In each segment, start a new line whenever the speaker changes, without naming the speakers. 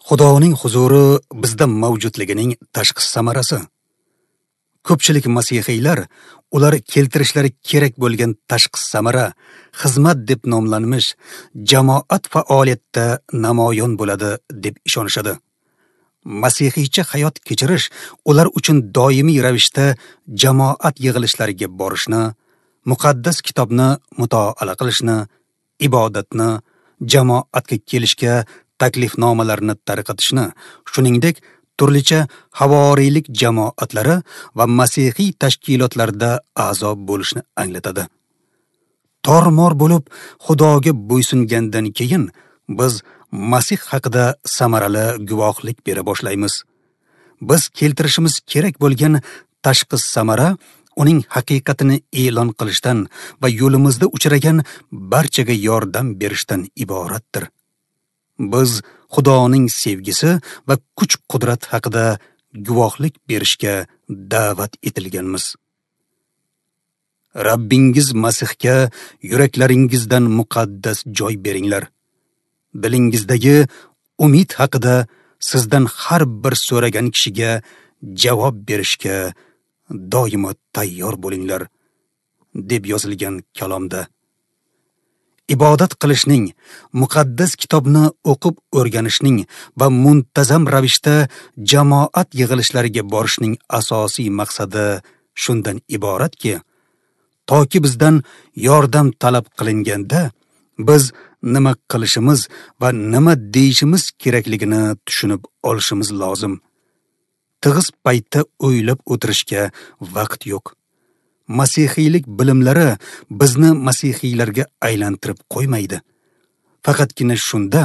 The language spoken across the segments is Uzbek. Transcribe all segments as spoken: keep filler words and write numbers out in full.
Xudoning huzuri bizda mavjudligining tashqi samarasi. Ko'pchilik masihiylar ular keltirishlari kerak bo'lgan tashqi samara xizmat deb nomlanmish jamoat faoliyatda namoyon bo'ladi deb ishonishadi. Masihiycha hayot kechirish ular uchun doimiy ravishda jamoat yig'ilishlariga borishni, muqaddas kitobni mutolaa qilishni, ibodatni, jamoatga kelishga taklifnomalarni tarqatishni, shuningdek turlicha havoriylik jamoatlari va masihiy tashkilotlarda a'zo bo'lishni anglatadi. Tormor bo'lib Xudoga bo'ysungandan keyin biz Masih haqida samarali guvohlik bera boshlaymiz. Biz keltirishimiz kerak bo'lgan tashqi samara uning haqiqatini e'lon qilishdan va yo'limizda uchragan barchaga yordam berishdan iboratdir. Biz Xudoning sevgisi va kuch-qudrat haqida guvohlik berishga da'vat etilganmiz. Rabbingiz Masihga yuraklaringizdan muqaddas joy beringlar. Dilingizdagi umid haqida sizdan har bir so'ragan kishiga javob berishga doimo tayyor bo'linglar, deb yozilgan kalomda. Ibodat qilishning, muqaddas kitobni o'qib o'rganishning va muntazam ravishda jamoat yig'ilishlariga borishning asosiy maqsadi shundan iboratki, toki bizdan yordam talab qilinganda biz nima qilishimiz va nima deyishimiz kerakligini tushunib olishimiz lozim. Tig'iz paytda o'ylab o'tirishga vaqt yo'q. Masihiylik bilimlari bizni masihiylarga aylantirib qo'ymaydi. Faqatgina shunda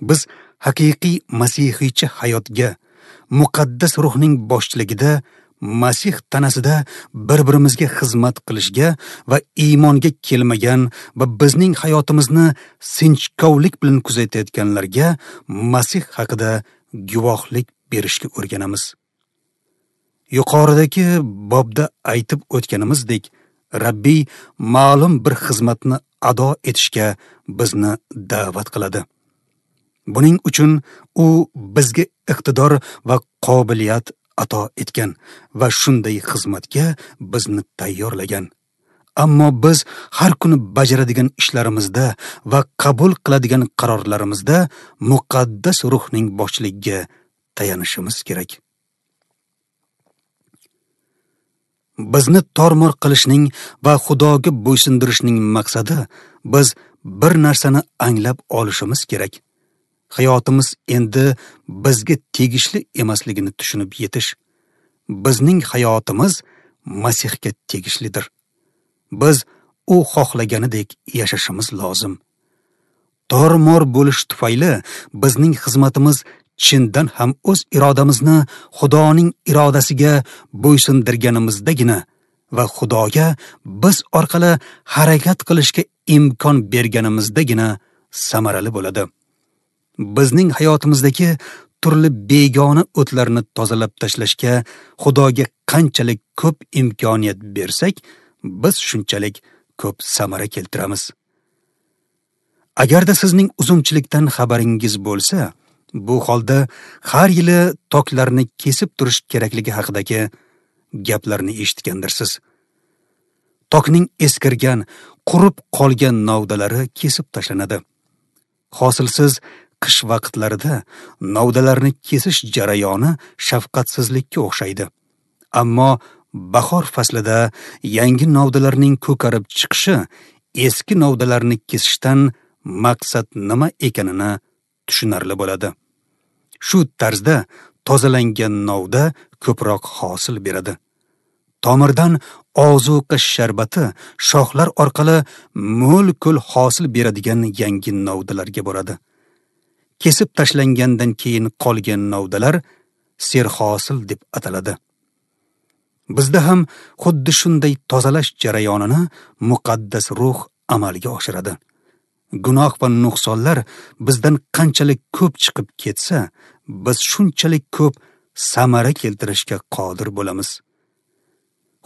biz haqiqiy masihiycha hayotga, muqaddas ruhning boshchiligida Masih tanasida bir-birimizga xizmat qilishga va iymonga kelmagan va bizning hayotimizni sinchkovlik bilan kuzatayotganlarga Masih haqida guvohlik berishga o'rganamiz. Yuqoridagi bobda aytib o'tganimizdek, Rabbiy ma'lum bir xizmatni ado etishga bizni da'vat qiladi. Buning uchun u bizga iqtidor va qobiliyat ato etgan va shunday xizmatga bizni tayyorlagan. Ammo biz har kuni bajaradigan ishlarimizda va qabul qiladigan qarorlarimizda muqaddas ruhning boshchiligiga tayanishimiz kerak. Bizni tormor qilishning va Xudoga bo'ysundirishning maqsadi biz bir narsani anglab olishimiz kerak. Hayotimiz endi bizga tegishli emasligini tushunib yetish. Bizning hayotimiz Masihga tegishlidir. Biz u xohlaganidek yashashimiz lozim. Tormor bo'lish tufayli bizning xizmatimiz chindan ham o'z irodamizni Xudoning irodasiga bo'ysundirganimizdagina va Xudoga biz orqali harakat qilishga imkon berganimizdagina samarali bo'ladi. Bizning hayotimizdagi turli begona o'tlarni tozalab tashlashga Xudoga qanchalik ko'p imkoniyat bersak, biz shunchalik ko'p samara keltiramiz. Agarda sizning uzumchilikdan xabaringiz bo'lsa, bu holda har yili toklarni kesib turish kerakligi haqidagi gaplarni eshitgandirsiz. Tokning eskirgan, qurib qolgan novdalari kesib tashlanadi. Hosilsiz qish vaqtlarida novdalarni kesish jarayoni shafqatsizlikka o'xshaydi. Ammo bahor faslida yangi novdalarning ko'karib chiqishi eski novdalarni kesishdan maqsad nima ekanini tushunarli bo'ladi. Shu tarzda tozalangan novda ko'proq hosil beradi. Tomirdan ozuqa sharbati shoxlar orqali mo'l-ko'l hosil beradigan yangi novdalarga boradi. Kesib tashlangandan keyin qolgan novdalar serhosil deb ataladi. Bizda ham xuddi shunday tozalash jarayonini muqaddas ruh amalga oshiradi. Gunoh va nuqsonlar bizdan qanchalik ko'p chiqib ketsa, biz shunchalik ko'p samara keltirishga qodir bo'lamiz.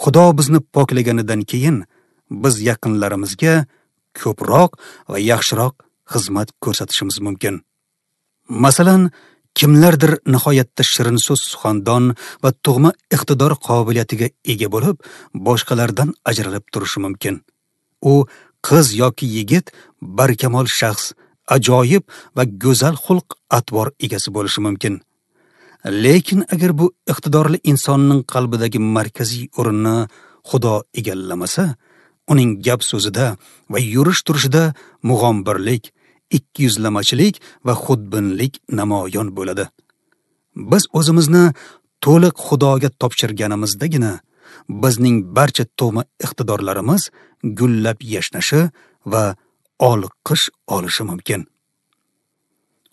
Xudo bizni poklaganidan keyin biz yaqinlarimizga ko'proq va yaxshiroq xizmat ko'rsatishimiz mumkin. Masalan, Kimlardir nihoyatda shirin so'z suxandon va tug'ma iqtidor qobiliyatiga ega bo'lib, boshqalardan ajralib turishi mumkin. U qiz yoki yigit barkamol shaxs, ajoyib va go'zal xulq atvor egasi bo'lishi mumkin. Lekin agar bu iqtidorli insonning qalbidagi markaziy o'rinni Xudo egallamasa, uning gap so'zida va yurish turishida mug'ombirlik, ikkiyuzlamachilik va xudbinlik namoyon bo'ladi. Biz o'zimizni to'liq Xudoga topshirganimizdagina bizning barcha tug'ma iqtidorlarimiz gullab yashnashi va olqish olishi mumkin.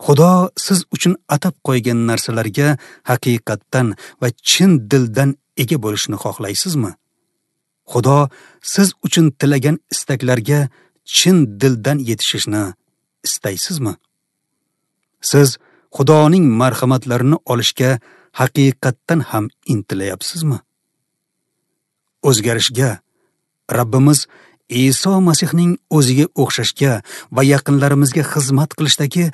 Xudo siz uchun atab qo'ygan narsalarga haqiqatdan va chin dildan ega bo'lishni xohlaysizmi? Xudo siz uchun tilagan istaklarga chin dildan yetishishni istaysizmi? Siz Xudoning marhamatlarini olishga haqiqatdan ham intilayapsizmi? O'zgarishga, Rabbimiz Iso Masihning o'ziga o'xshashga va yaqinlarimizga xizmat qilishdagi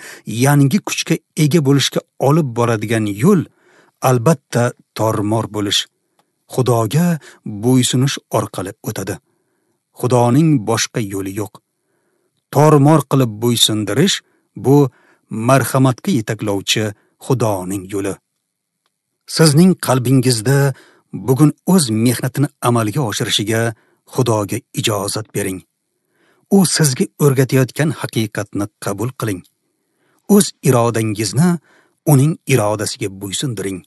yangi kuchga ega bo'lishga olib boradigan yo'l albatta tormor bo'lish, Xudoga bo'ysunish orqali o'tadi. Xudoning boshqa yo'li yo'q. Tormor qilib bo'ysundirish bu marhamatga yetaklovchi Xudoning yo'li. Sizning qalbingizda bugun o'z mehnatini amalga oshirishiga Xudoga ijozat bering. U sizga o'rgatayotgan haqiqatni qabul qiling. O'z irodangizni uning irodasiga bo'ysundiring.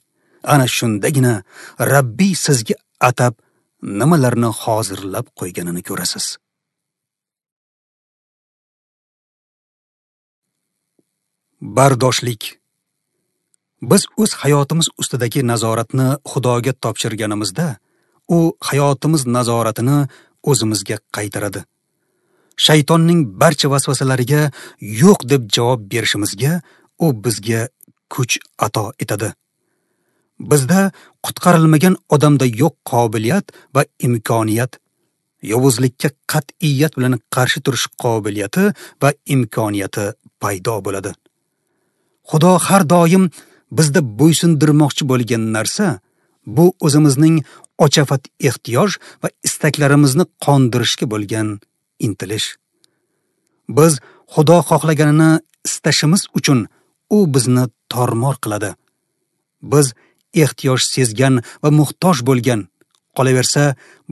Ana shundagina Rabbiy sizga atab nimalarni hozirlab qo'yganini ko'rasiz. Bardoshlik. Biz o'z hayotimiz ustidagi nazoratni Xudoga topshirganimizda, u hayotimiz nazoratini o'zimizga qaytaradi. Shaytonning barcha vasvasalariga yo'q deb javob berishimizga u bizga kuch ato etadi. Bizda qutqarilmagan odamda yo'q qobiliyat va imkoniyat, yovuzlikka qat'iyat bilan qarshi turish qobiliyati va imkoniyati paydo bo'ladi. Xudo har doim bizda bo'ysundirmoqchi bo'lgan narsa bu o'zimizning ochafat ehtiyoj va istaklarimizni qondirishga bo'lgan intilish. Biz Xudo xohlaganini istashimiz uchun u bizni tormor qiladi. Biz ehtiyoj sezgan va muhtoj bo'lgan, qolaversa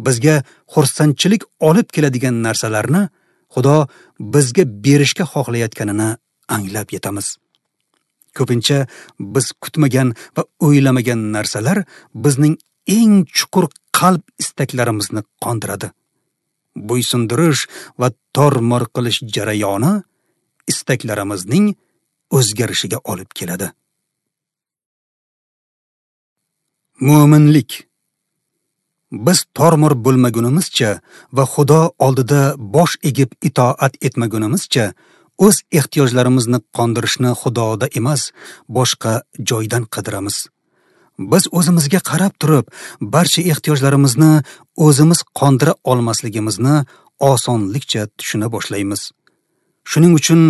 bizga xursandchilik olib keladigan narsalarni Xudo bizga berishga xohlayotganini anglab yetamiz. Ko'pincha biz kutmagan va o'ylamagan narsalar bizning eng chuqur qalb istaklarimizni qondiradi. Bo'ysundirish va tormor qilish jarayoni istaklarimizning o'zgarishiga olib keladi. Mo'minlik. Biz tormor bo'lmagunimizcha va Xudo oldida bosh egib itoat etmagunimizcha o'z ehtiyojlarimizni qondirishni Xudoda emas, boshqa joydan qidiramiz. Biz o'zimizga qarab turib, barcha ehtiyojlarimizni o'zimiz qondira olmasligimizni osonlikcha tushuna boshlaymiz. Shuning uchun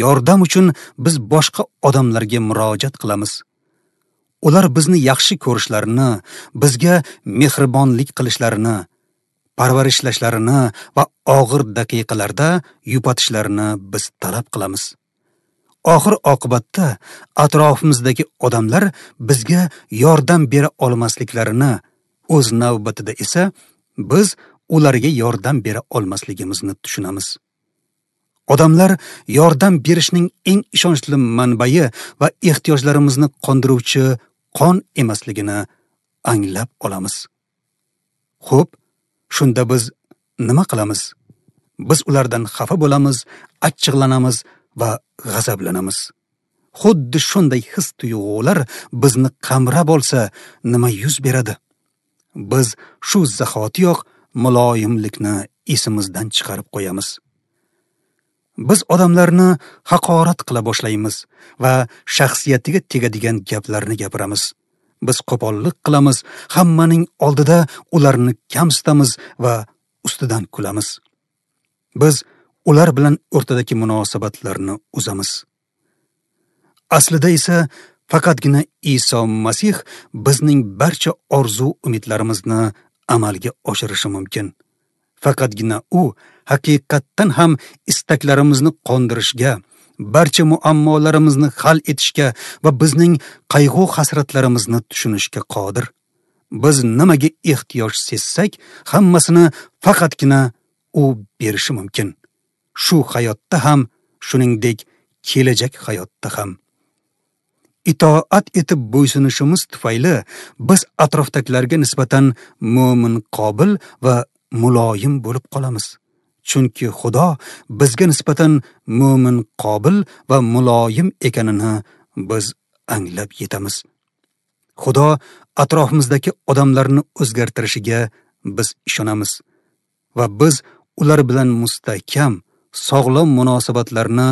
yordam uchun biz boshqa odamlarga murojaat qilamiz. Ular bizni yaxshi ko'rishlarini, bizga mehribonlik qilishlarini, parvarishlashlarini va og'ir daqiqalarda yupatishlarini biz talab qilamiz. Oxir oqibatda atrofimizdagi odamlar bizga yordam bera olmasliklarini, o'z navbatida esa biz ularga yordam bera olmasligimizni tushunamiz. Odamlar yordam berishning eng ishonchli manbai va ehtiyojlarimizni qondiruvchi qon emasligini anglab olamiz. Xo'p, shunda biz nima qilamiz? Biz ulardan xafa bo'lamiz, achchiqlanamiz va g'azablanamiz. Xuddi shunday his tuyg'ular bizni qamrab olsa, nima yuz beradi? Biz shu zahotiyoq muloyimlikni esimizdan chiqarib qo'yamiz. Biz odamlarni haqorat qila boshlaymiz va shaxsiyatiga tegadigan gaplarni gapiramiz. Biz qo'pollik qilamiz, hammaning oldida ularni kamsitamiz va ustidan kulamiz. Biz ular bilan o'rtadagi munosabatlarni uzamiz. Aslida esa Faqatgina Iso Masih bizning barcha orzu umidlarimizni amalga oshirishi mumkin. Faqatgina u haqiqatdan ham istaklarimizni qondirishga, barcha muammolarimizni hal etishga va bizning qayg'u hasratlarimizni tushunishga qodir. Biz nimaga ehtiyoj sezsak, hammasini faqatgina u berishi mumkin. Shu hayotda ham, shuningdek kelajak hayotda ham. Itoat etib bo'ysunishimiz tufayli biz atrofdagilarga nisbatan mo'min qobil va muloyim bo'lib qolamiz. Chunki Xudo bizga nisbatan mo'min qobil va muloyim ekanini biz anglab yetamiz. Xudo atrofimizdagi odamlarni o'zgartirishiga biz ishonamiz va biz ular bilan mustahkam, sog'lom munosabatlarni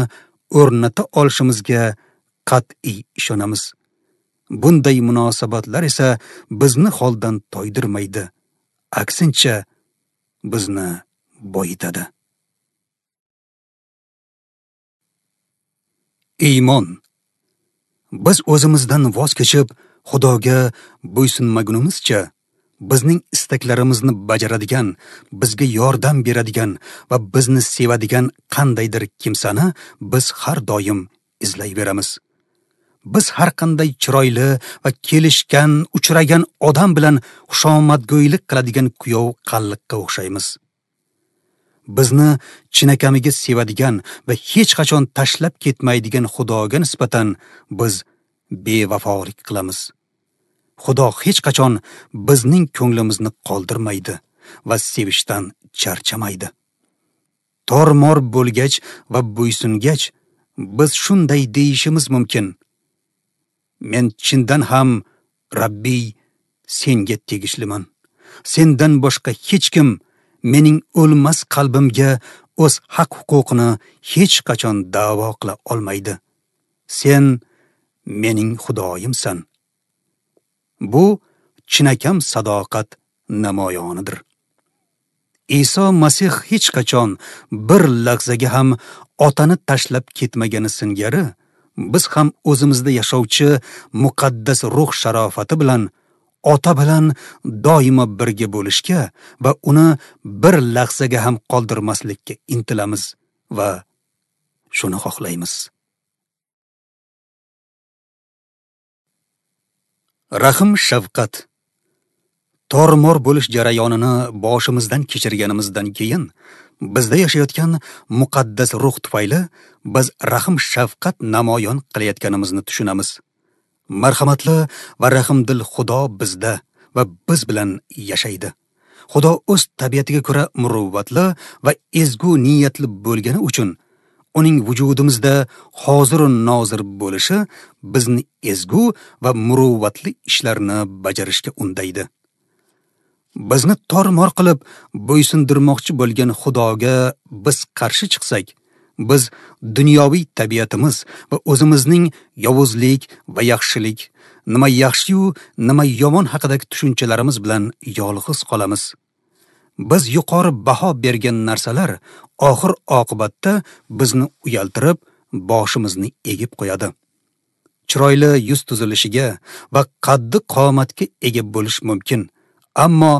o'rnata olishimizga qat'iy ishonamiz. Bunday munosabatlar esa bizni holdan toydirmaydi, aksincha bizni boyitadi. Iymon. Biz o'zimizdan voz kechib, Xudoga bo'ysunmagunimizcha, bizning istaklarimizni bajaradigan, bizga yordam beradigan va bizni sevadigan qandaydir kimsani biz har doim izlayveramiz. Biz har qanday chiroyli va kelishgan, uchragan odam bilan xushomadgo'ylik qiladigan kuyov qalliqqa o'xshaymiz. Bizni chinakamiga sevadigan va hech qachon tashlab ketmaydigan Xudoga nisbatan biz bevafolik qilamiz. Xudo hech qachon bizning ko'nglimizni qoldirmaydi va sevishdan charchamaydi. Tormor bo'lgach va bo'ysungach biz shunday deyishimiz mumkin: Men chindan ham Rabbiy senga tegishliman. Sendan boshqa hech kim mening o'lmas qalbimga o'z haq-huquqini hech qachon da'vo qila olmaydi. Sen mening Xudoyimsan. Bu chinakam sadoqat namoyonidir. Iso Masih hech qachon bir lahzaga ham otani tashlab ketmagani singari, biz ham o'zimizda yashovchi muqaddas ruh sharofati bilan ota bilan doimo birga bo'lishga va uni bir lahzaga ham qoldirmaslikka intilamiz va shuni xohlaymiz. Rahm shafqat. Tormor bo'lish jarayonini boshimizdan kechirganimizdan keyin bizda yashayotgan muqaddas ruh tufayli biz rahm shafqat namoyon qilayotganimizni tushunamiz. Marhamatli va rahmdil Xudo bizda va biz bilan yashaydi. Xudo o'z tabiatiga ko'ra muruvvatli va ezgu niyatli bo'lgani uchun uning vujudimizda hozir nozir bo'lishi bizni ezgu va muruvvatli ishlarni bajarishga undaydi. Bizni tormor qilib bo'ysundirmoqchi bo'lgan Xudoga biz qarshi chiqsak, biz dunyoviy tabiatimiz va o'zimizning yovuzlik va yaxshilik, nima yaxshi-yu, nima yomon haqidagi tushunchalarimiz bilan yolg'iz qolamiz. Biz yuqori baho bergan narsalar oxir oqibatda bizni uyaltirib, boshimizni egib qo'yadi. Chiroyli yuz tuzilishiga va qaddi qomatga ega bo'lish mumkin, ammo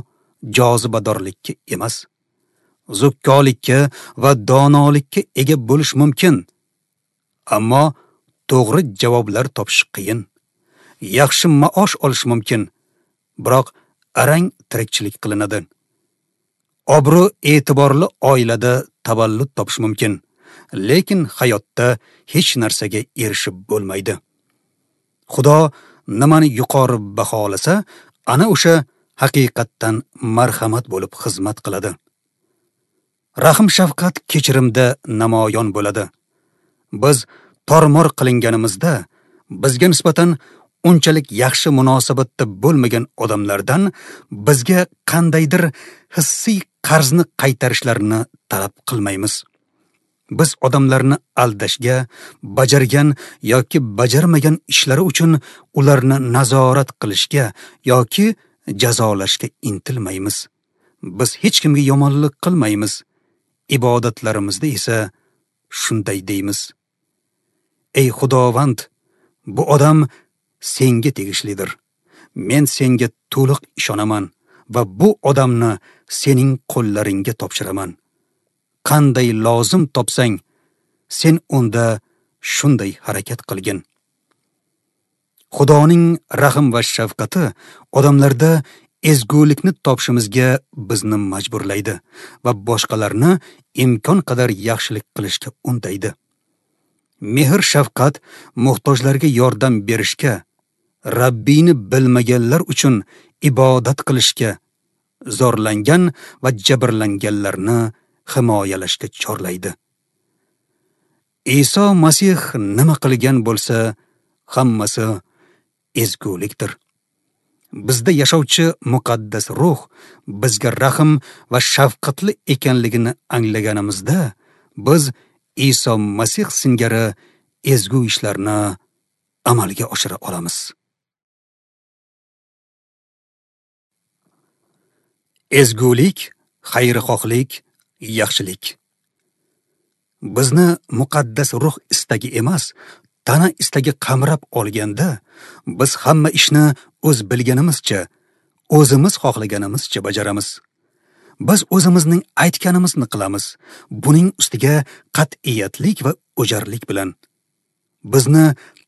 jozibadorlikka emas. Zukkolikka va donolikka ega bo'lish mumkin, ammo to'g'ri javoblar topish qiyin. Yaxshi maosh olish mumkin, biroq arang tirikchilik qilinadi. Obro' e'tiborli oilada tavallud topish mumkin, lekin hayotda hech narsaga erishib bo'lmaydi. Xudo nimani yuqori baholasa, ana o'sha haqiqatdan marhamat bo'lib xizmat qiladi. Rahm shafqat kechirimda namoyon bo'ladi. Biz tormor qilinganimizda bizga nisbatan unchalik yaxshi munosabatda bo'lmagan odamlardan bizga qandaydir hissiy qarzni qaytarishlarini talab qilmaymiz. Biz odamlarni aldashga, bajargan yoki bajarmagan ishlari uchun ularni nazorat qilishga yoki jazolashga intilmaymiz. Biz hech kimga yomonlik qilmaymiz. Ibodatlarimizda esa shunday deymiz: Ey Xudovand, bu odam senga tegishlidir. Men senga to'liq ishonaman va bu odamni sening qo'llaringga topshiraman. Qanday lozim topsang, sen unda shunday harakat qilgin. Xudoning rahm va shafqati odamlarda ezgulikni topishimizga bizni majburlaydi va boshqalarni imkon qadar yaxshilik qilishga undaydi. Mehr shafqat muhtojlarga yordam berishga, Rabbini bilmaganlar uchun ibodat qilishga, zorlangan va jabrlanganlarni himoyalashga chorlaydi. Iso Masih nima qilgan bo'lsa, hammasi ezgulikdir. Bizda yashovchi muqaddas ruh bizga rahm va shafqatli ekanligini anglaganimizda, biz Iso Masih singari ezgu ishlarni amalga oshira olamiz. Ezgulik, xayrixohlik, yaxshilik. Bizni muqaddas ruh istagi emas, tana istagi qamrab olganda, biz hamma ishni o'z bilganimizcha, o'zimiz xohlaganimizcha bajaramiz. Biz o'zimizning aytganimizni qilamiz, buning ustiga qat'iyatlik va o'jarlik bilan. Bizni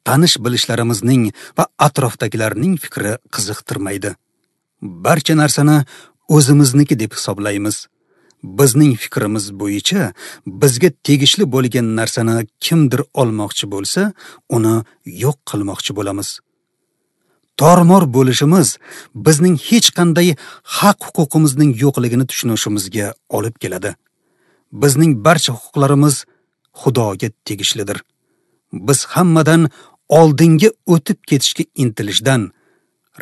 tanish bilishlarimizning va atrofdagilarning fikri qiziqtirmaydi. Barcha narsani o'zimizniki deb hisoblaymiz. Bizning fikrimiz bo'yicha bizga tegishli bo'lgan narsani kimdir olmoqchi bo'lsa, uni yo'q qilmoqchi bo'lamiz. Tormor bo'lishimiz bizning hech qanday haq-huquqimizning yo'qligini tushunishimizga olib keladi. Bizning barcha huquqlarimiz Xudoga tegishlidir. Biz hammadan oldinga o'tib ketishga intilishdan,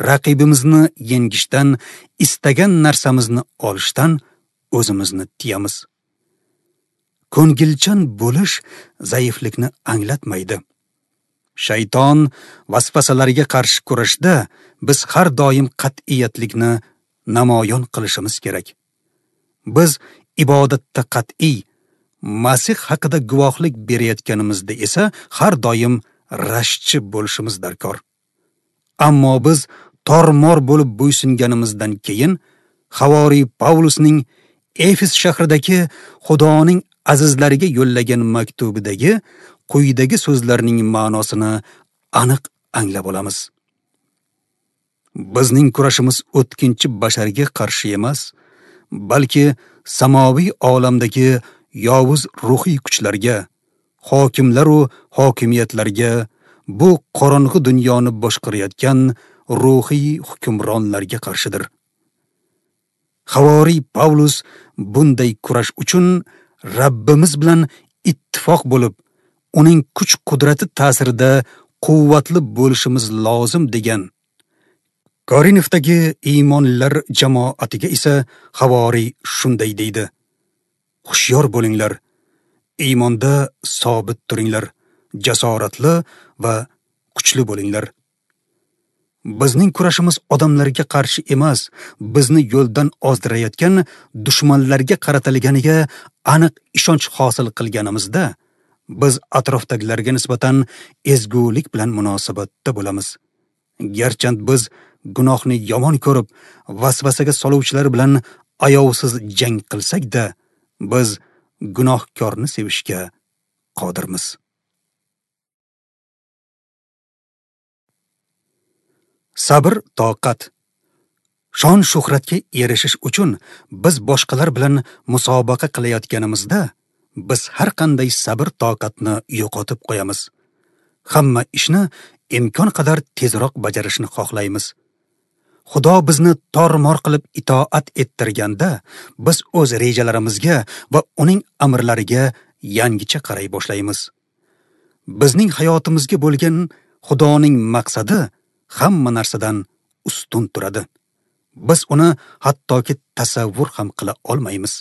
raqibimizni yengishdan, istagan narsamizni olishdan o'zimizni tiyamiz. Ko'ngilchan bo'lish zaiflikni anglatmaydi. Shayton vasvasalariga qarshi kurashda biz har doim qat'iyatlikni namoyon qilishimiz kerak. Biz ibodatda qat'iy, Masih haqida guvohlik berayotganimizda esa har doim rashkchi bo'lishimiz darkor. Ammo biz tormor bo'lib bo'ysunganimizdan keyin Havoriy Pavlusning Efes shahridagi Xudoning azizlariga yo'llagan maktubidagi quyidagi so'zlarning ma'nosini aniq anglab olamiz. Bizning kurashimiz o'tkinchi basharga qarshi emas, balki samoviy olamdagi yovuz ruhiy kuchlarga, hokimlar va hokimiyatlarga, bu qorong'i dunyoni boshqarayotgan ruhiy hukmronlarga qarshidir. Havoriy Pavlus bunday kurash uchun Rabbimiz bilan ittifoq bo'lib, uning kuch-qudrati ta'sirida quvvatli bo'lishimiz lozim degan. Korinfdagi iymonlilar jamoatiga esa Havoriy shunday deydi: Hushyor bo'linglar, iymonda sobit turinglar, jasoratli va kuchli bo'linglar. Bizning kurashimiz odamlarga qarshi emas, bizni yo'ldan ozdirayotgan dushmanlarga qaratilganiga aniq ishonch hosil qilganimizda, biz atrofdagilarga nisbatan ezgulik bilan munosabatda bo'lamiz. Garchi biz gunohni yomon ko'rib, vasvasaga soluvchilar bilan ayovsiz jang qilsak-da, biz gunohkorni sevishga qodirmiz. Sabr, toqat. Shon shuhratga erishish uchun biz boshqalar bilan musobaqa qilayotganimizda, biz har qanday sabr toqatni yo'qotib qo'yamiz. Hamma ishni imkon qadar tezroq bajarishni xohlaymiz. Xudo bizni tormor qilib itoat ettirganda, biz o'z rejalarimizga va uning amrlariga yangicha qaray boshlaymiz. Bizning hayotimizga bo'lgan Xudoning maqsadi hamma narsadan ustun turadi. Biz uni hattoki tasavvur ham qila olmaymiz.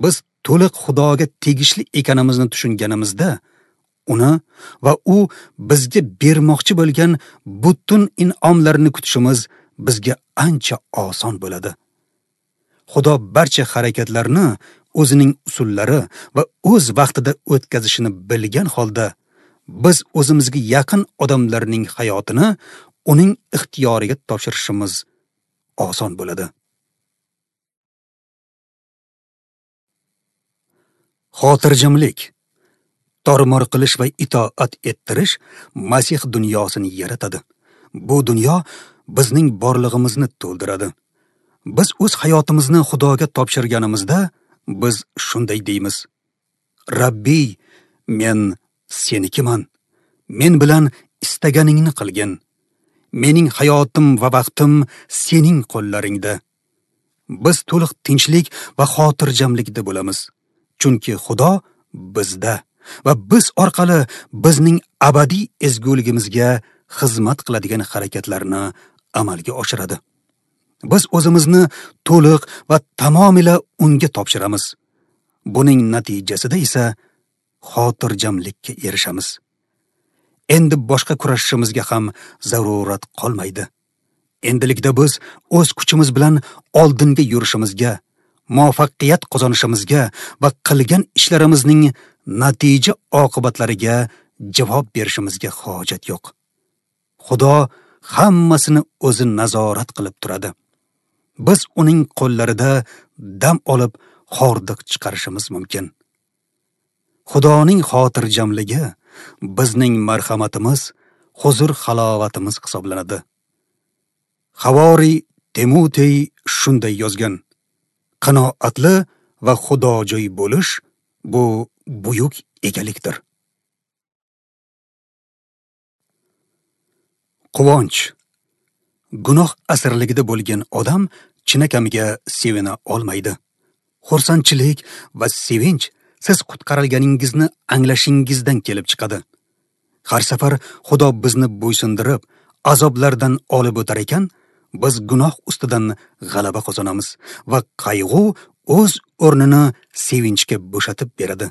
Biz to'liq Xudoga tegishli ekanimizni tushunganimizda, uni va u bizga bermoqchi bo'lgan butun in'omlarni kutishimiz bizga ancha oson bo'ladi. Xudo barcha harakatlarni o'zining usullari va o'z vaqtida o'tkazishini bilgan holda, biz o'zimizga yaqin odamlarning hayotini uning ixtiyoriga topshirishimiz oson bo'ladi. Xotirjamlik, tormor qilish va itoat ettirish Masih dunyosini yaratadi. Bu dunyo bizning borlig'imizni to'ldiradi. Biz o'z hayotimizni Xudoga topshirganimizda biz shunday deymiz: Rabbiy, men senikiman. Men bilan istaganingni qilgin. Mening hayotim va vaqtim sening qo'llaringda. Biz to'liq tinchlik va xotirjamlikda bo'lamiz. Chunki Xudo bizda va biz orqali bizning abadiy ezguligimizga xizmat qiladigan harakatlarni amalga oshiradi. Biz o'zimizni to'liq va tamomila unga topshiramiz. Buning natijasida esa xotirjamlikka erishamiz. Endi boshqa kurashishimizga ham zarurat qolmaydi. Endilikda biz o'z kuchimiz bilan oldinga yurishimizga, muvaffaqiyat qozonishimizga va qilgan ishlarimizning natija oqibatlariga javob berishimizga hojat yo'q. Xudo hammasini o'zi nazorat qilib turadi. Biz uning qo'llarida dam olib xordiq chiqarishimiz mumkin. Xudoning xotirjamligi bizning marhamatimiz, huzur halovatimiz hisoblanadi. Havoriy Timotey shunday yozgan: qanoatli va xudojo'y bo'lish bu buyuk egalikdir. Quvonch. Gunoh asirligida bo'lgan odam chinakamiga sevina olmaydi. Xursandchilik va sevinch siz qutqarilganingizni anglashingizdan kelib chiqadi. Har safar Xudo bizni bo'ysundirib, azoblardan olib o'tar ekan, biz gunoh ustidan g'alaba qozonamiz va qayg'u o'z o'rnini sevinchga bo'shatib beradi.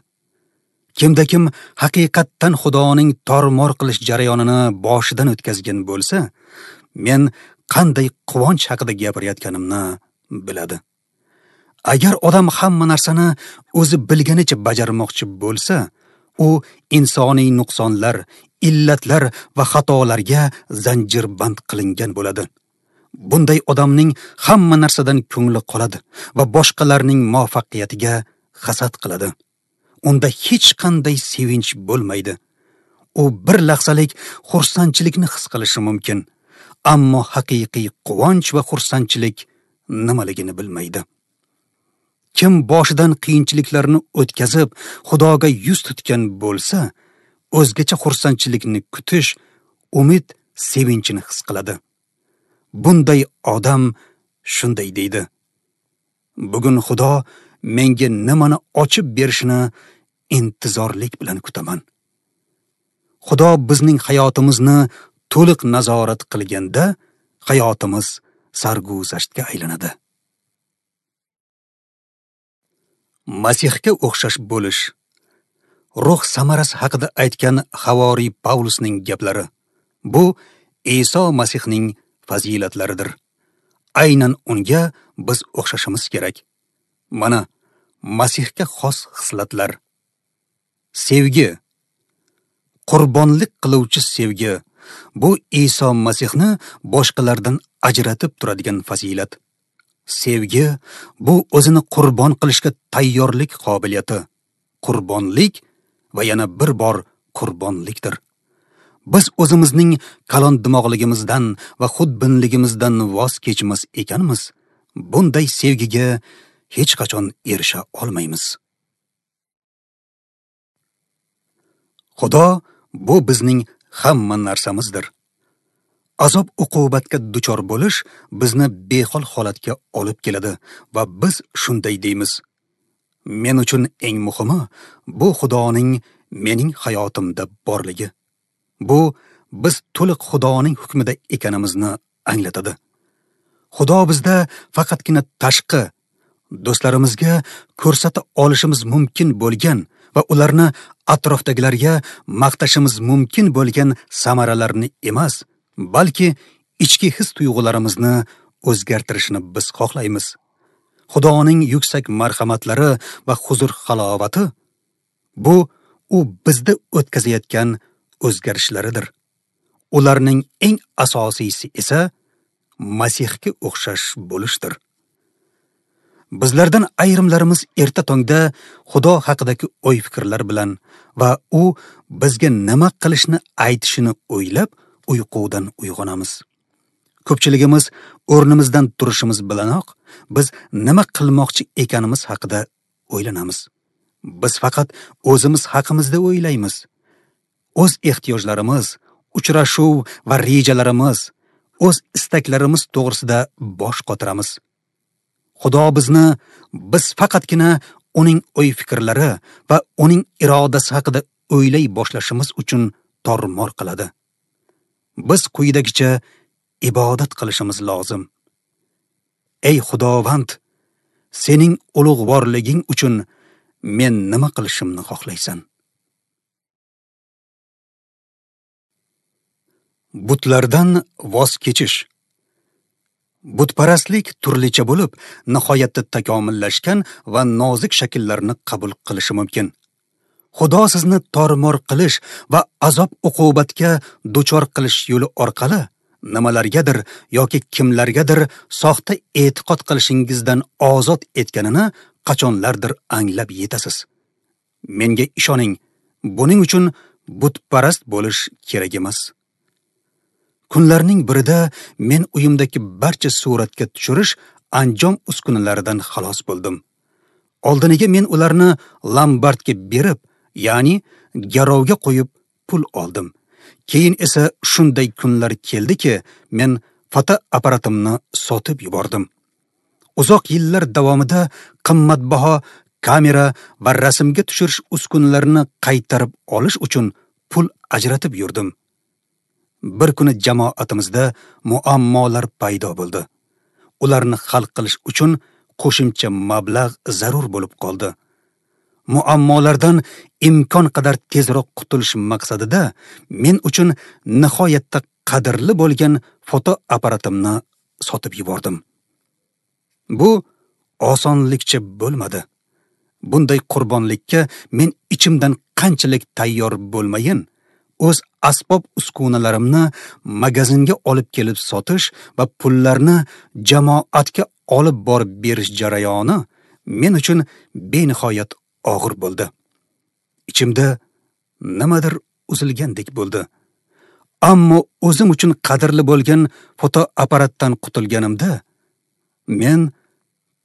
Kimda kim haqiqatdan Xudoning tormor qilish jarayonini boshidan o'tkazgan bo'lsa, men qanday quvonch haqida gapirayotganimni biladi. Agar odam hamma narsani o'zi bilganicha bajarmoqchi bo'lsa, u insoniy nuqsonlar, illatlar va xatolarga zanjirband qilingan bo'ladi. Bunday odamning hamma narsadan ko'ngli qoladi va boshqalarning muvaffaqiyatiga hasad qiladi. Unda hech qanday sevinch bo'lmaydi. U bir lahzalik xursandchilikni his qilishi mumkin, ammo haqiqiy quvonch va xursandchilik nimaligini bilmaydi. Kim boshidan qiyinchiliklarni o'tkazib, Xudoga yuz tutgan bo'lsa, o'zgacha xursandchilikni kutish, umid, sevinchini his qiladi. Bunday odam shunday deydi: bugun Xudo menga nimani ochib berishini intizorlik bilan kutaman. Xudo bizning hayotimizni to'liq nazorat qilganda, hayotimiz sarguzashtga aylanadi. Masihga o'xshash bo'lish. Ruh samarasi haqida aytgan Havoriy Pavlusning gaplari. Bu Iso Masihning fazilatlaridir. Aynan unga biz o'xshashimiz kerak. Mana Masihga xos xislatlar. Sevgi. Qurbonlik qiluvchi sevgi. Bu Iso Masihni boshqalardan ajratib turadigan fazilat. Sevgi bu o'zini qurbon qilishga tayyorlik qobiliyati. Qurbonlik va yana bir bor qurbonlikdir. Biz o'zimizning kalon dimog'ligimizdan va xudbinligimizdan voz kechmas ekanmiz, bunday sevgiga hech qachon erisha olmaymiz. Xudo bu bizning hamma narsamizdir. Azob uqubatga duchor bo'lish bizni behol holatga olib keladi va biz shunday deymiz: men uchun eng muhimi bu Xudoning mening hayotimda borligi. Bu biz to'liq Xudoning hukmida ekanimizni anglatadi. Xudo bizda faqatgina tashqi do'stlarimizga ko'rsata olishimiz mumkin bo'lgan va ularni atrofdagilarga maqtashimiz mumkin bo'lgan samaralarni emas, balki ichki his tuyg'ularimizni o'zgartirishini biz xohlaymiz. Xudoning yuksak marhamatlari va huzur halovati bu u bizda o'tkazayotgan o'zgarishlaridir. Ularning eng asosiysi esa Masihga o'xshash bo'lishdir. Bizlardan ayrimlarimiz erta tongda Xudo haqidagi o'y-fikrlar bilan va u bizga nima qilishni aytishini o'ylab uyqudan uyg'onamiz. Ko'pchiligimiz o'rnimizdan turishimiz bilanoq biz nima qilmoqchi ekanimiz haqida o'ylanamiz. Biz faqat o'zimiz haqimizda o'ylaymiz. O'z ehtiyojlarimiz, uchrashuv va rejalarimiz, o'z istaklarimiz to'g'risida bosh qotiramiz. Xudo bizni biz faqatgina uning o'y-fikrlari va uning irodasi haqida o'ylay boshlashimiz uchun tormor qiladi. Biz quyidagicha ibodat qilishimiz lozim. Ey Xudovand, sening ulug'vorliging uchun men nima qilishimni xohlaysan? Butlardan voz kechish. Butparastlik turlicha bo'lib, nihoyatda takomillashgan va nozik shakllarni qabul qilishi mumkin. Xudo sizni tormor qilish va azob-uqubatga duchor qilish yo'li orqali nimalargadir yoki kimlargadir soxta e'tiqod qilishingizdan ozod etganini qachonlardir anglab yetasiz. Menga ishoning, buning uchun butparast bo'lish kerak emas. Kunlarning birida men uyimdagi barcha suratga tushirish anjom uskunalaridan xalos bo'ldim. Oldiniga men ularni lombardga berib, ya'ni garovga qo'yib pul oldim. Keyin esa shunday kunlar keldiki, men fotoapparatimni sotib yubordim. Uzoq yillar davomida qimmatbaho kamera va rasmga tushirish uskunalarini qaytarib olish uchun pul ajratib yurdim. Bir kuni jamoatimizda muammolar paydo bo'ldi. Ularni hal qilish uchun qo'shimcha mablag' zarur bo'lib qoldi. Muammolardan imkon qadar tezroq qutulish maqsadida men uchun nihoyatda qadrli bo'lgan fotoapparatimni sotib yubordim. Bu osonlikcha bo'lmadi. Bunday qurbonlikka men ichimdan qanchalik tayyor bo'lmayin, o'z asbob uskunalarimni magazinga olib kelib sotish va pullarni jamoatga olib borib berish jarayoni men uchun benihoyat og'ir bo'ldi. Ichimda nimadir uzilgandek bo'ldi. Ammo o'zim uchun qadrli bo'lgan fotoapparatdan qutulganimda men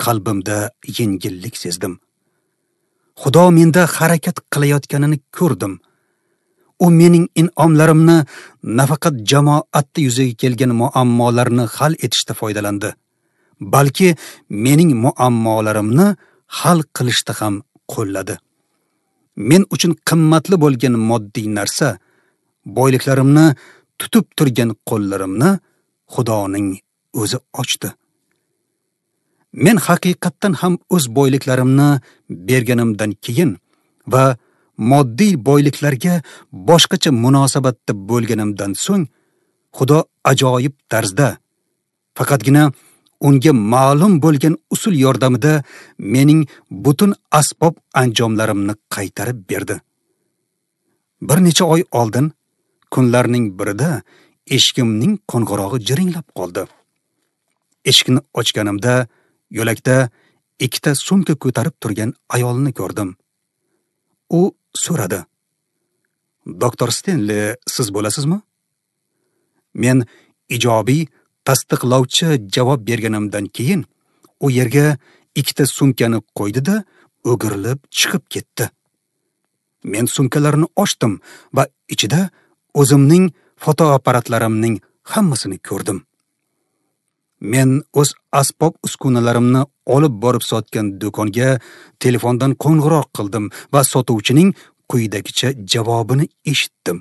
qalbimda yengillik sezdim. Xudo menda harakat qilayotganini ko'rdim. U mening in'omlarimni nafaqat jamoatda yuzaga kelgan muammolarni hal etishda foydalandi, balki mening muammolarimni hal qilishda ham qo'lladi. Men uchun qimmatli bo'lgan moddiy narsa, boyliklarimni tutib turgan qo'llarimni Xudoning o'zi ochdi. Men haqiqatdan ham o'z boyliklarimni berganimdan keyin va moddiy boyliklarga boshqacha munosabatda bo'lganimdan so'ng Xudo ajoyib tarzda faqatgina unga ma'lum bo'lgan usul yordamida mening butun asbob anjomlarimni qaytarib berdi. Bir necha oy oldin kunlarning birida eshigimning qo'ng'irog'i jiringlab qoldi. Eshikni ochganimda yo'lakda ikkita sumka ko'tarib turgan ayolni ko'rdim. U so'radi: "Doktor Stenli siz bo'lasizmi?" Men ijobiy tasdiqlovchi javob berganimdan keyin u yerga ikkita sumkani qo'ydi-da, o'girilib chiqib ketdi. Men sumkalarni ochdim va ichida o'zimning fotoapparatlarimning hammasini ko'rdim. Men o'z asbob uskunalarimni olib borib sotgan do'konga telefondan qo'ng'iroq qildim va sotuvchining quyidagicha javobini eshitdim.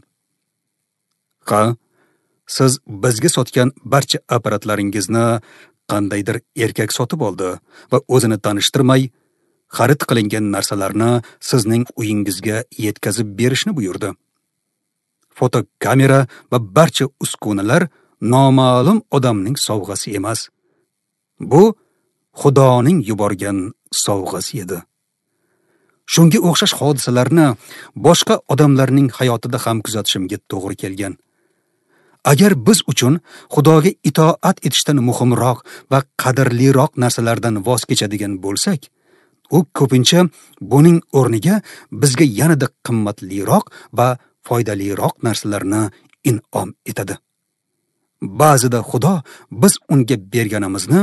"Ha, siz bizga sotgan barcha apparatlaringizni qandaydir erkak sotib oldi va o'zini tanishtirmay, xarid qilingan narsalarni sizning uyingizga yetkazib berishni buyurdi. Fotokamera va barcha uskunalar noma'lum odamning sovg'asi emas. Bu Xudoning yuborgan sovg'asi edi." Shunga o'xshash hodisalarni boshqa odamlarning hayotida ham kuzatishimga to'g'ri kelgan. Agar biz uchun Xudoga itoat etishdan muhimroq va qadrliroq narsalardan voz kechadigan bo'lsak, u ko'pincha buning o'rniga bizga yanada qimmatliroq va foydaliroq narsalarni in'om etadi. Ba'zida Xudo biz unga berganimizni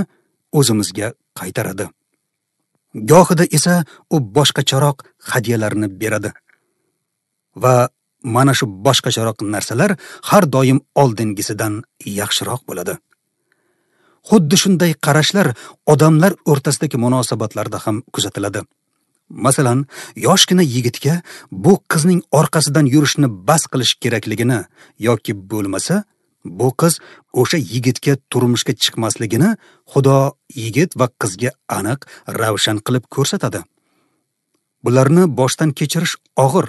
o'zimizga qaytaradi. Gohida esa u boshqacharoq hadyalarni beradi. Va mana shu boshqacharoq narsalar har doim oldingisidan yaxshiroq bo'ladi. Xuddi shunday qarashlar odamlar o'rtasidagi munosabatlarda ham kuzatiladi. Masalan, yoshgina yigitga bu qizning orqasidan yurishni bas qilish kerakligini yoki bo'lmasa, bu qiz o'sha yigitga turmushga chiqmasligini Xudo yigit va qizga aniq, ravshan qilib ko'rsatadi. Bularni boshdan kechirish og'ir.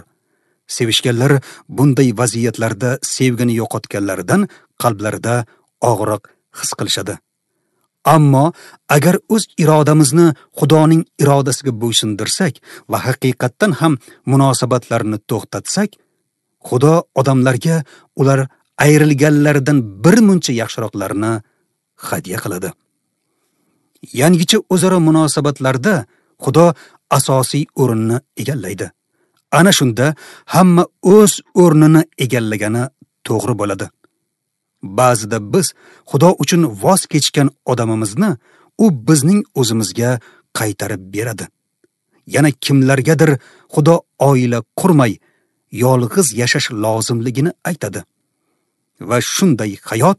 Sevishganlar bunday vaziyatlarda sevgini yo'qotganlaridan qalblarida og'riq his qilishadi. Ammo agar o'z irodamizni Xudoning irodasiga bo'ysundirsak va haqiqatdan ham munosabatlarni to'xtatsak, Xudo odamlarga ular ayrilganlaridan bir muncha yaxshiroqlarini hadya qiladi. Yangicha o'zaro munosabatlarda Xudo asosiy o'rinni egallaydi. Ana shunda hamma o'z o'rnini egallagani to'g'ri bo'ladi. Ba'zida biz Xudo uchun voz kechgan odamimizni u bizning o'zimizga qaytarib beradi. Yana kimlargadir Xudo oila qurmay yolg'iz yashash lozimligini aytadi. Va shunday hayot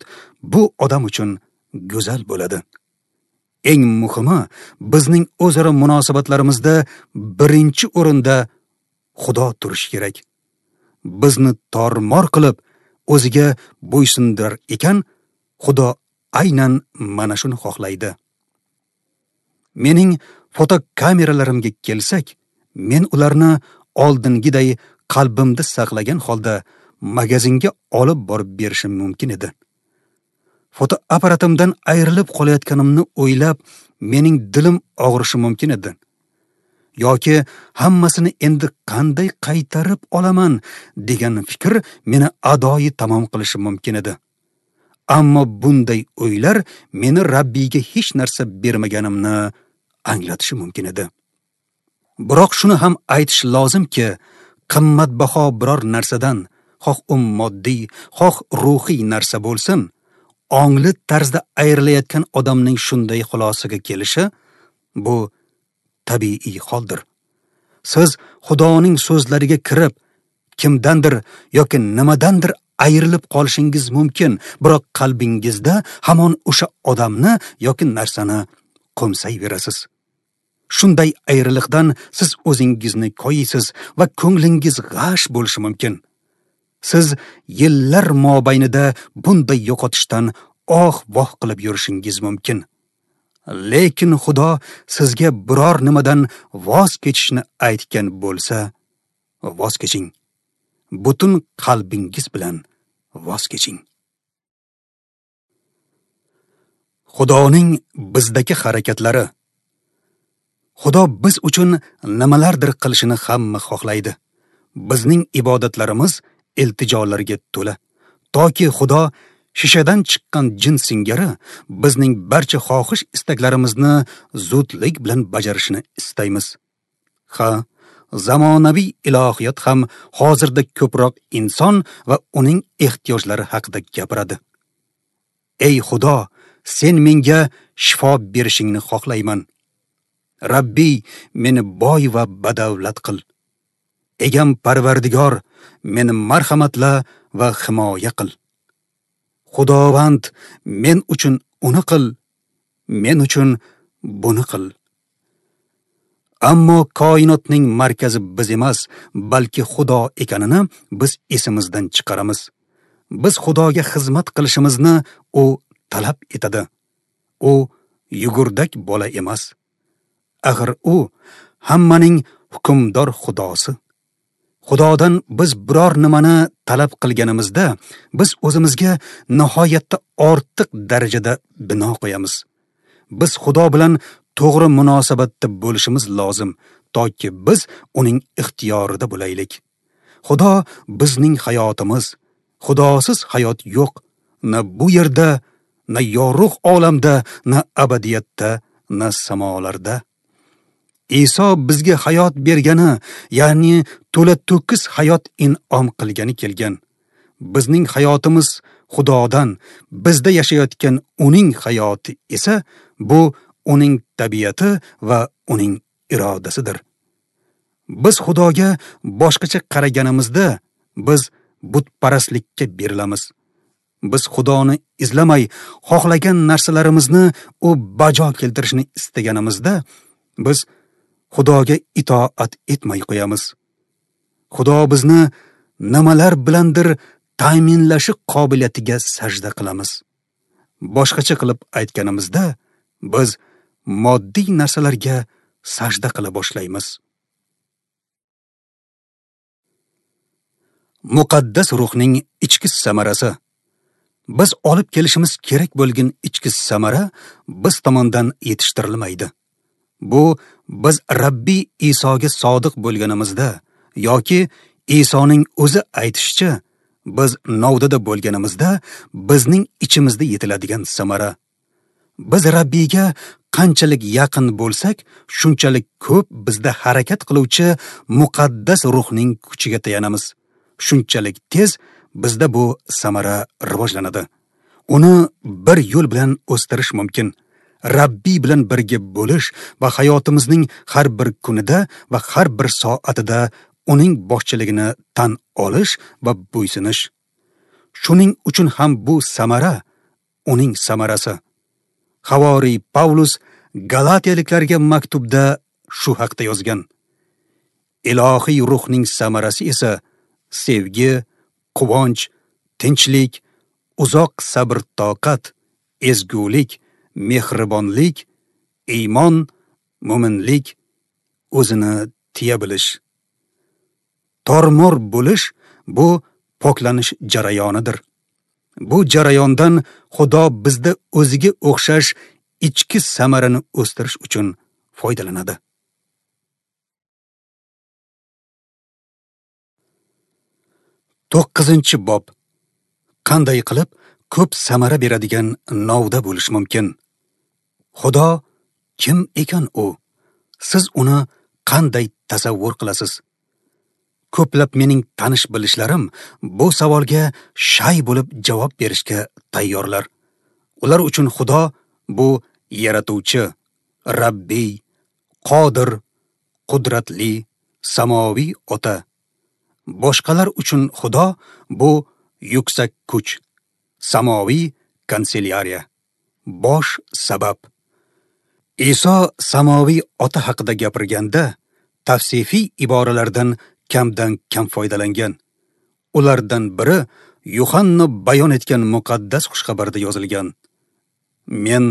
bu odam uchun go'zal bo'ladi. Eng muhimi, bizning o'zaro munosabatlarimizda birinchi o'rinda Xudo turishi kerak. Bizni tormor qilib o'ziga bo'ysundirar ekan, Xudo aynan mana shuni xohlaydi. Mening fotokameralarimga kelsak, men ularni oldingiday qalbimda saqlagan holda magazinga olib borib berishim mumkin edi. Fotoapparatimdan ayrilib qolayotganimni o'ylab, mening dilim og'rishi mumkin edi. Yoki hammasini endi qanday qaytarib olaman degan fikr meni adoyi tamom qilishi mumkin edi. Ammo bunday o'ylar meni Rabbiyga hech narsa bermaganimni anglatishi mumkin edi. Biroq shuni ham aytish lozimki, qimmatbaho biror narsadan, xoh u moddiy, xoh ruhiy narsa bo'lsin, ongli tarzda ayrilayotgan odamning shunday xulosaga kelishi bu tabiiy holdir. Siz Xudoning so'zlariga kirib, kimdandir yoki nimadandir ayrilib qolishingiz mumkin, biroq qalbingizda hamon o'sha odamni yoki narsani qo'msayverasiz. Shunday ayriliqdan siz o'zingizni koyiysiz va ko'nglingiz g'ash bo'lishi mumkin. Siz yillar mobaynida bunday yo'qotishdan oh-voh qilib yurishingiz mumkin. Lekin Xudo sizga biror nimadan voz kechishni aytgan bo'lsa, voz keching. Butun qalbingiz bilan voz keching. Xudoning bizdagi harakatlari. Xudo biz uchun nimalardir qilishini hamma xohlaydi. Bizning ibodatlarimiz iltijolarga to'la. Toki Xudo shishadan chiqqan jin singari bizning barcha xohish istaklarimizni zudlik bilan bajarishini istaymiz. Ha, zamonaviy ilohiyat ham hozirda ko'proq inson va uning ehtiyojlari haqida gapiradi. Ey Xudo, sen menga shifo berishingni xohlayman. Rabbiy, meni boy va badavlat qil. Egam Parvardigor, meni marhamatla va himoya qil. Xudovand, men uchun uni qil, men uchun buni qil. Ammo koinotning markazi biz emas, balki Xudo ekanini biz esimizdan chiqaramiz. Biz Xudoga xizmat qilishimizni u talab etadi. U yugurdak bola emas. Axir u hammaning hukmdor Xudosi. Xudodan biz biror nimani talab qilganimizda, biz o'zimizga nihoyatda ortiq darajada bino qo'yamiz. Biz Xudo bilan to'g'ri munosabatda bo'lishimiz lozim, toki biz uning ixtiyorida bo'laylik. Xudo bizning hayotimiz. Xudosiz hayot yo'q. Na bu yerda, na yorug' olamda, na abadiyatda, na samolarda. Iso bizga hayot bergani, ya'ni to'la to'kis hayot in'om qilgani kelgan. Bizning hayotimiz Xudodan, bizda yashayotgan uning hayoti esa bu uning tabiati va uning irodasidir. Biz Xudoga boshqacha qaraganimizda biz butparastlikka berilamiz. Biz Xudoni izlamay, xohlagan narsalarimizni u bajo keltirishni istaganimizda biz Xudoga itoat etmay qo'yamiz. Xudo bizni nimalar bilandir ta'minlashi qobiliyatiga sajda qilamiz. Boshqacha qilib aytganimizda, biz moddiy narsalarga sajda qila boshlaymiz. Muqaddas ruhning ichki samarasi. Biz olib kelishimiz kerak bo'lgan ichki samara biz tomondan yetishtirilmaydi. Bu biz Rabbiy Isoga sodiq bo'lganimizda yoki Isoning o'zi aytishicha, biz novdada bo'lganimizda bizning ichimizda yetiladigan samara. Biz Rabbiyga qanchalik yaqin bo'lsak, shunchalik ko'p bizda harakat qiluvchi muqaddas ruhning kuchiga tayanamiz. Shunchalik tez bizda bu samara rivojlanadi. Uni bir yo'l bilan o'stirish mumkin. Rabbiy bilan birga bo'lish va hayotimizning har bir kunida va har bir soatida uning boshchiligini tan olish va bo'ysunish. Shuning uchun ham bu samara uning samarasi. Havoriy Pavlus Galatiyaliklarga maktubda shu haqda yozgan. Ilohiy ruhning samarasi esa sevgi, quvonch, tinchlik, uzoq sabr-toqat, ezgulik, mehribonlik, iymon, mo'minlik, o'zini tiya bilish. Tormor bo'lish bu poklanish jarayonidir. Bu jarayondan Xudo bizda o'ziga o'xshash ichki samarani o'stirish uchun foydalanadi. To'qqizinchi bob. Qanday qilib ko'p samara beradigan novda bo'lish mumkin? Xudo kim ekan u? Siz uni qanday tasavvur qilasiz? Ko'plab mening tanish bilishlarim bu savolga shay bo'lib javob berishga tayyorlar. Ular uchun Xudo bu yaratuvchi, Rabbiy, qodir, qudratli, samoviy ota. Boshqalar uchun Xudo bu yuksak kuch, samoviy kanselyariya, bosh sabab. Iso samoviy ota haqida gapirganda tavsifiy iboralardan kamdan kam foydalangan. Ulardan biri Yuhanna bayon etgan muqaddas xushxabarda yozilgan. Men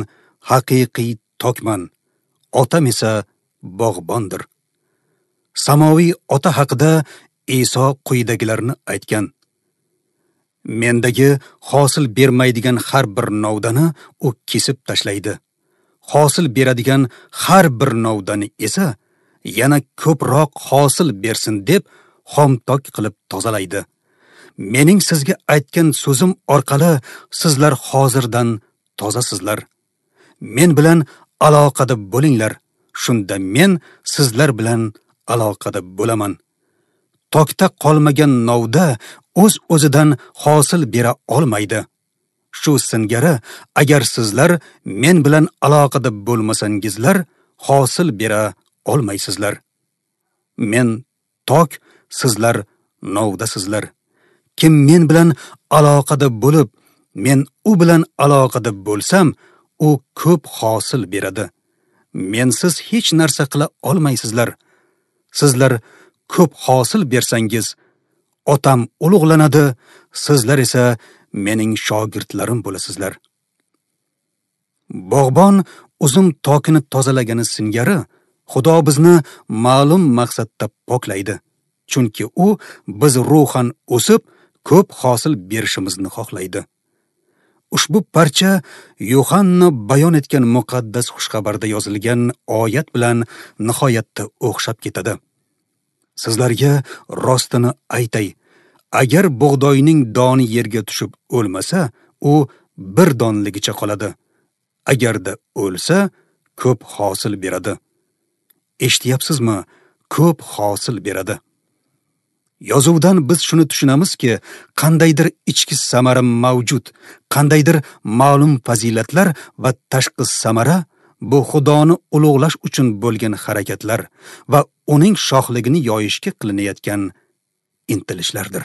haqiqiy tokman, otam esa bog'bondir. Samoviy ota haqida Iso quyidagilarni aytgan. Mendagi hosil bermaydigan har bir novdani u kesib tashlaydi. Hosil beradigan har bir novdani esa yana ko'proq hosil bersin deb xomtok qilib tozalaydi. Mening sizga aytgan so'zim orqali sizlar hozirdan tozasizlar. Men bilan aloqada bo'linglar, shunda men sizlar bilan aloqada bo'laman. Tokda qolmagan novda o'z-o'zidan hosil bera olmaydi. Shu singari agar sizlar men bilan aloqada bo'lmasangizlar, hosil bera olmaysizlar. Men tok, sizlar novdasizlar. Kim men bilan aloqada bo'lib, men u bilan aloqada bo'lsam, u ko'p hosil beradi. Mensiz hech narsa qila olmaysizlar. Sizlar ko'p hosil bersangiz, otam ulug'lanadi, sizlar esa mening shogirdlarim bo'lasizlar. Bog'bon uzum tokini tozalagani singari, Xudo bizni ma'lum maqsadda poklaydi. Chunki u biz ruhan o'sib, ko'p hosil berishimizni xohlaydi. Ushbu parcha Yuhanna bayon etgan muqaddas xushxabarda yozilgan oyat bilan nihoyatda o'xshab ketadi. Sizlarga rostini aytay, agar bug'doyning doni yerga tushib o'lmasa, u bir donligicha qoladi. Agarda o'lsa, ko'p hosil beradi. Eshityapsizmi? Ko'p hosil beradi. Yozuvdan biz shuni tushunamizki, qandaydir ichki samara mavjud, qandaydir ma'lum fazilatlar va tashqi samara bu Xudoni ulug'lash uchun bo'lgan harakatlar va uning shohligini yoyishga qilinayotgan intilishlardir.